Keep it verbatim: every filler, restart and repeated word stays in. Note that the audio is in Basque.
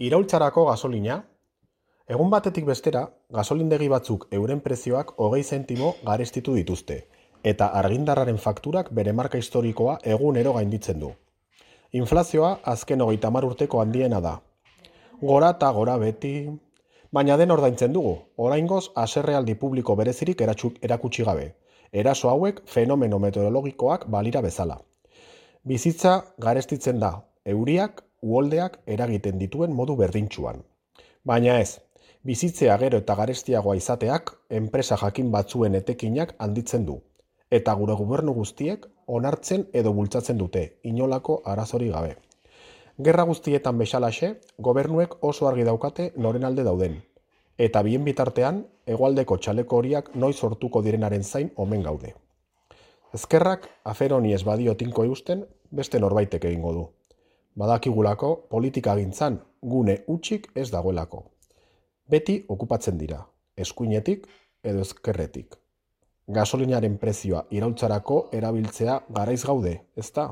Iraultzarako gasolina, egun batetik bestera, gasolindegi batzuk euren prezioak hogei zentimo garestitu dituzte, eta argindarraren fakturak bere marka historikoa egunero gainditzen du. Inflazioa azken hogeita hamar urteko handiena da. Gora eta gora beti, baina den ordaintzen dugu, oraingoz haserrealdi publiko berezirik erakutsi gabe. Eraso hauek fenomeno meteorologikoak balira bezala. Bizitza garestitzen da, euriak, uholdeak eragiten dituen modu berdintsuan. Baina ez, bizitzea gero eta garestiagoa izateak enpresa jakin batzuen etekinak handitzen du. Eta gure gobernu guztiek onartzen edo bultzatzen dute, inolako arazori gabe. Gerra guztietan bezalaxe, gobernuek oso argi daukate noren alde dauden. Eta bien bitartean, hegoaldeko txaleko horiak noiz sortuko direnaren zain omen gaude. Ezkerrak afer honi ez badio tinko eusten, beste norbaitek egingo du. Badakigulako politikagintzan gune hutsik ez dagoelako. Beti okupatzen dira, eskuinetik edo ezkerretik. Gasolinaren prezioa iraultzarako erabiltzea garaiz gaude, ezta?